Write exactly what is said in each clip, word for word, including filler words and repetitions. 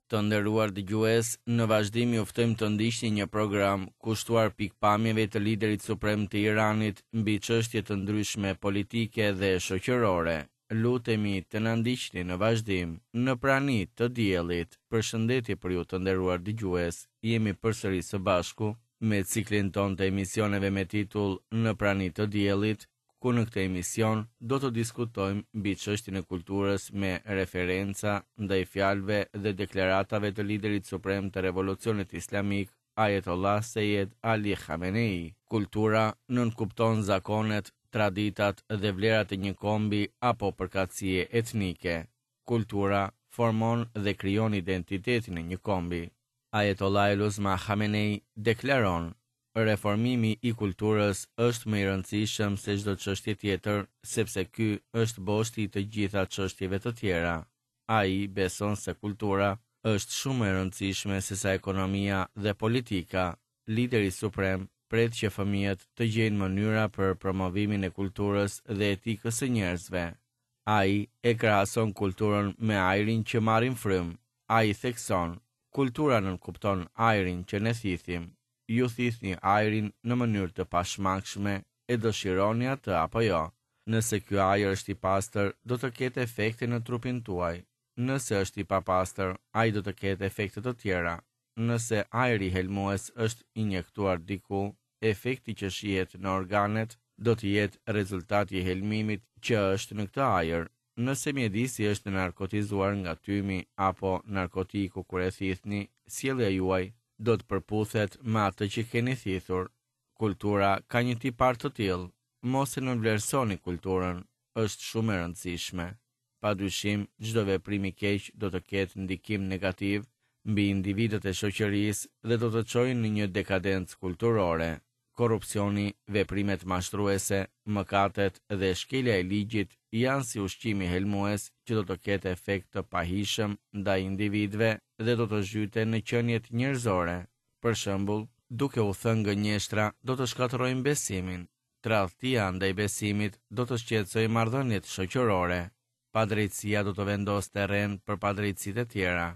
Të nderuar dëgjues, në vazhdim ju ftojmë të ndiqni një program kushtuar pikpamjeve të liderit suprem të Iranit mbi çështje të ndryshme politike dhe shoqërore. Lutemi të na ndiqni në vazhdim, në prani të diellit. Përshëndetje për ju të nderuar dëgjues. Jemi përsëri së bashku me ciklin tonë të emisioneve me titull Në prani të diellit, ku në këtë emision do të diskutojmë mbi çështjen e kulturës me referenca ndaj fjalëve dhe deklaratave të liderit suprem të Revolucionit Islamik, Ayatollah Seyed Ali Khamenei. Kultura nënkupton zakonet, traditat dhe vlerat e një kombi apo përkatësie etnike. Kultura formon dhe krijon identitetin e një kombi. Ayatollah El-Uzma Khamenei deklaron: Reformimi i kulturës është më i rëndësishëm se çdo çështje tjetër, sepse ky është boshti i të gjitha çështjeve të tjera. Ai beson se kultura është shumë më e rëndësishme sesa ekonomia dhe politika. Lideri suprem pret që fëmijët të gjejnë mënyra për promovimin e kulturës dhe etikës së njerëzve. Ai e krahason kulturën me ajrin që marrim frymë. Ai thekson: kultura nënkupton ajrin që ne thithim. Ju thithni ajrin në mënyrë të pashmangshme, e dëshironi atë apo jo. Nëse ky ajër është i pastër, do të ketë efekte në trupin tuaj. Nëse është i papastër, ai do të ketë efekte të tjera. Nëse ajri helmues është injektuar diku, efekti që shihet në organet do të jetë rezultati i helmimit që është në këtë ajër. Nëse mjedisi është narkotizuar nga tymi apo narkotiku kur e thithni, sjellja juaj do të përputhet me atë që keni thithur. Kultura ka një tipar të tillë. Mos e nënvlerësoni kulturën, është shumë e rëndësishme. Padyshim, çdo veprim i keq do të ketë ndikim negativ mbi individët e shoqërisë dhe do të çojë në një dekadencë kulturore. Korrupsioni, veprimet mashtruese, mëkatet dhe shkelja e ligjit janë si ushqimi helmues që do të ketë efekt të pahishëm ndaj individëve dhe do të zhyten në qeniet njerëzore. Për shembull, duke u thënë gënjeshtra do të shkatërrojnë besimin. Tradhtia ndaj besimit do të shqetësojë marrëdhëniet shoqërore. Padrejtësia do të vendosë terren për padrejtësitë e tjera.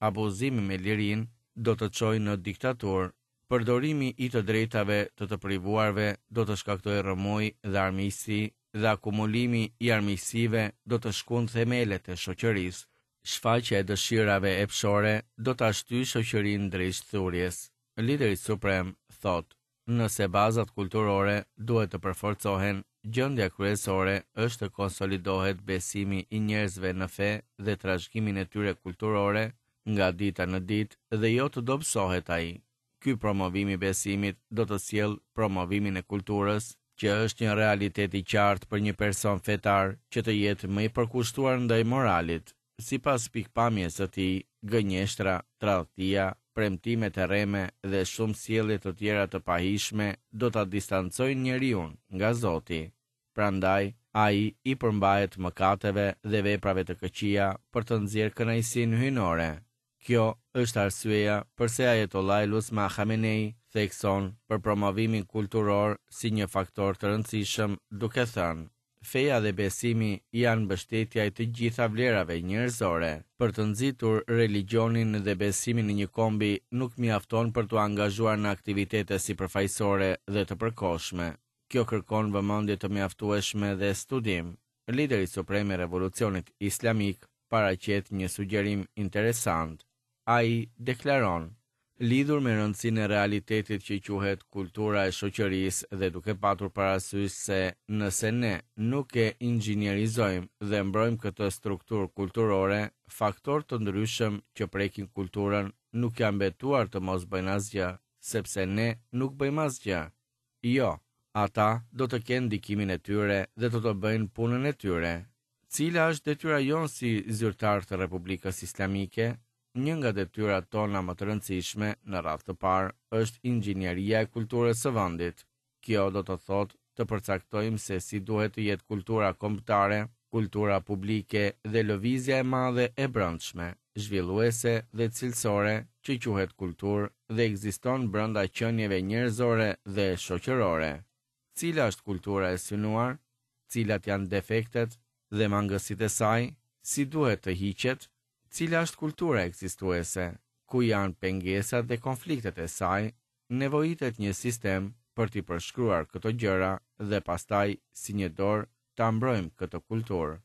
Abuzimi me lirinë do të çojë në diktaturë. Përdorimi i të drejtave të të privuarve do të shkaktojë rrëmujë dhe armiqësi, dhe akumulimi i armiqësive do të shkund themelet e shoqërisë. Shfaqja e dëshirave epshore do ta shtyjë shoqërinë drejt thurjes. Lideri suprem thotë: nëse bazat kulturore duhet të përforcohen, gjendja kryesore është të konsolidohet besimi i njerëzve në fe dhe trashëgimin e tyre kulturore nga dita në ditë dhe jo të dobësohet ai. Ky promovim i besimit do të sjellë promovimin e kulturës, që është një realitet i qartë për një person fetar që të jetë më i përkushtuar ndaj moralit. Sipas pikpamjes së tij, gënjeshtra, tradhtia, premtimet e rreme dhe shumë sjellje të tjera të pahishme do ta distancojnë njeriun nga Zoti. Prandaj, ai i përmbahet mëkateve dhe veprave të këqija për të nxjerrë kënaqësinë hyjnore. Kjo është arsyeja përse Ayatollah El-Uzma Khamenei thekson për promovimin kulturor si një faktor të rëndësishëm, duke thënë: feja dhe besimi janë mbështetja e të gjitha vlerave njerëzore. Për të nxitur religionin dhe besimin e një kombi nuk mjafton për t'u angazhuar në aktivitete sipërfaqësore dhe të përkohshme. Kjo kërkon vëmendje të mjaftueshme dhe studim. Lideri suprem i Revolucionit Islamik paraqet një sugjerim interesant. Ai deklaron: lidhur me rëndësinë e realitetit që quhet kultura e shoqërisë dhe duke patur parasysh se nëse ne nuk e inxhinierizojmë dhe mbrojmë këtë strukturë kulturore, faktorë të ndryshëm që prekin kulturën nuk janë betuar të mos bëjnë asgjë, sepse ne nuk bëjmë asgjë. Jo, ata do të kenë ndikimin e tyre dhe do të bëjnë punën e tyre. Cila është detyra jonë si zyrtar të Republikës Islamike? Një nga detyrat tona më të rëndësishme në radhë të parë është inxhinieria e kulturës së vendit. Kjo do të thotë të përcaktojmë se si duhet të jetë kultura kombëtare, kultura publike dhe lëvizja e madhe e brendshme, zhvilluese dhe cilësore që quhet kulturë dhe ekziston brenda qenieve njerëzore dhe shoqërore. Cila është kultura e synuar? Cilat janë defektet dhe mangësitë e saj? Si duhet të hiqet? Cila është kultura ekzistuese? Ku janë pengesat dhe konfliktet e saj? Nevojitet një sistem për t'i përshkruar këto gjëra dhe pastaj si një dorë ta mbrojmë këtë kulturë.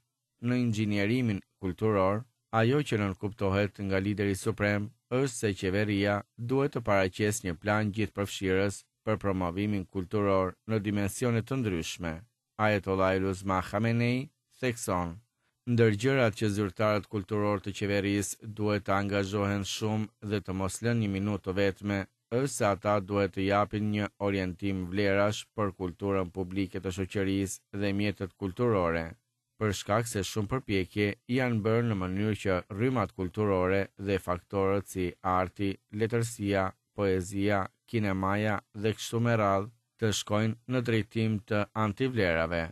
Në inxhinierimin kulturor, ajo që nënkuptohet nga lideri suprem është se qeveria duhet të paraqesë një plan gjithëpërfshirës për promovimin kulturor në dimensione të ndryshme. Ayatollah Uzma Khamenei thekson: Ndër gjërat që zyrtarët kulturor të qeverisë duhet të angazhohen shumë dhe të mos lënë një minutë të vetme, është se ata duhet të japin një orientim vlerash për kulturën publike të shoqërisë dhe mjetet kulturore, për shkak se shumë përpjekje janë bërë në mënyrë që rrymat kulturore dhe faktorët si arti, letërsia, poezia, kinemaja dhe kështu me radhë të shkojnë në drejtim të antivlerave.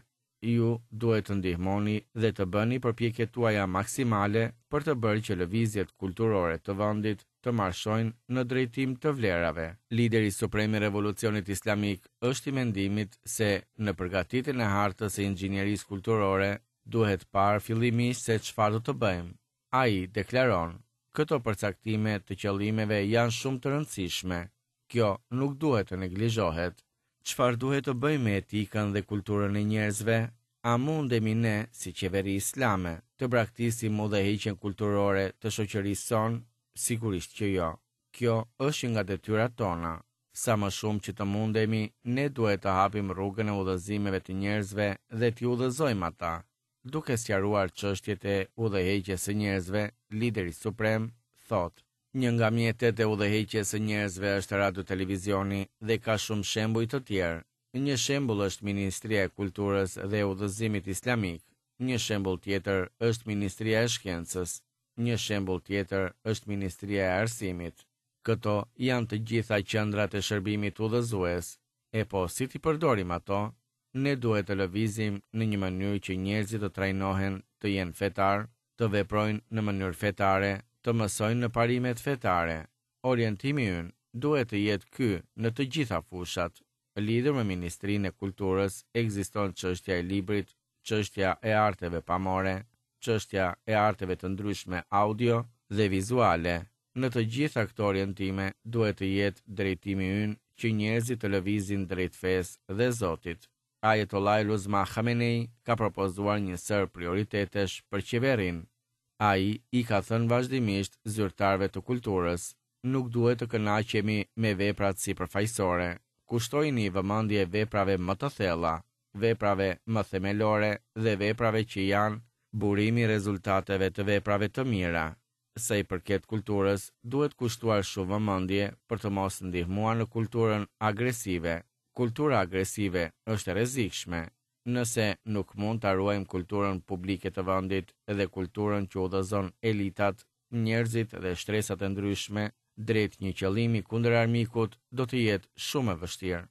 Ju duhet të ndihmoni dhe të bëni përpjekjet tuaja maksimale për të bërë që lëvizjet kulturore të vendit të marshojnë në drejtim të vlerave. Lideri suprem i Revolucionit Islamik është i mendimit se në përgatitjen e hartës së inxhinierisë kulturore duhet parë fillimisht se çfarë do të bëjmë. Ai deklaron: këto përcaktime të qëllimeve janë shumë të rëndësishme. Kjo nuk duhet të neglizhohet. Çfarë duhet të bëjmë me etikën dhe kulturën e njerëzve? A mundemi ne, si qeveri islame, të braktisim udhëheqjen kulturore të shoqërisë sonë? Sigurisht që jo. Kjo është një nga detyrat tona. Sa më shumë që të mundemi, ne duhet të hapim rrugën e udhëzimeve të njerëzve dhe t'i udhëzojmë ata. Duke sqaruar çështjet e udhëheqjes së njerëzve, lideri suprem thotë: një nga mjetet e udhëheqjes së njerëzve është radio televizioni dhe ka shumë shembuj të tjerë. Një shembull është Ministria e Kulturës dhe e Udhëzimit Islamik. Një shembull tjetër është Ministria e Shkencës. Një shembull tjetër është Ministria e Arsimit. Këto janë të gjitha qendrat e shërbimit udhëzues. E po, si t'i përdorim ato? Ne duhet të lëvizim në një mënyrë që njerëzit të trajnohen të jenë fetar, të veprojnë në mënyrë fetare, të mësojnë në parimet fetare. Orientimi ynë duhet të jetë ky në të gjitha fushat. Lidhur me Ministrinë e Kulturës ekziston çështja e librit, çështja e arteve pamore, çështja e arteve të ndryshme audio dhe vizuale. Në të gjitha këto orientime duhet të jetë drejtimi ynë që njerëzit të lëvizin drejt fesë dhe Zotit. Ayatollah Uzma Khamenei ka propozuar një sërë prioritetesh për qeverinë. Ai i ka thënë vazhdimisht zyrtarëve të kulturës: nuk duhet të kënaqemi me veprat sipërfaqësore, kushtojini vëmendje veprave më të thella, veprave më themelore dhe veprave që janë burimi i rezultateve të veprave të mira. Sa i përket kulturës, duhet kushtuar shumë vëmendje për të mos ndihmuar në kulturën agresive. Kultura agresive është e rrezikshme. Nëse nuk mund ta ruajmë kulturën publike të vendit dhe kulturën që udhëzon elitat, njerëzit dhe shtresat e ndryshme drejt një qëllimi kundër armikut, do të jetë shumë e vështirë.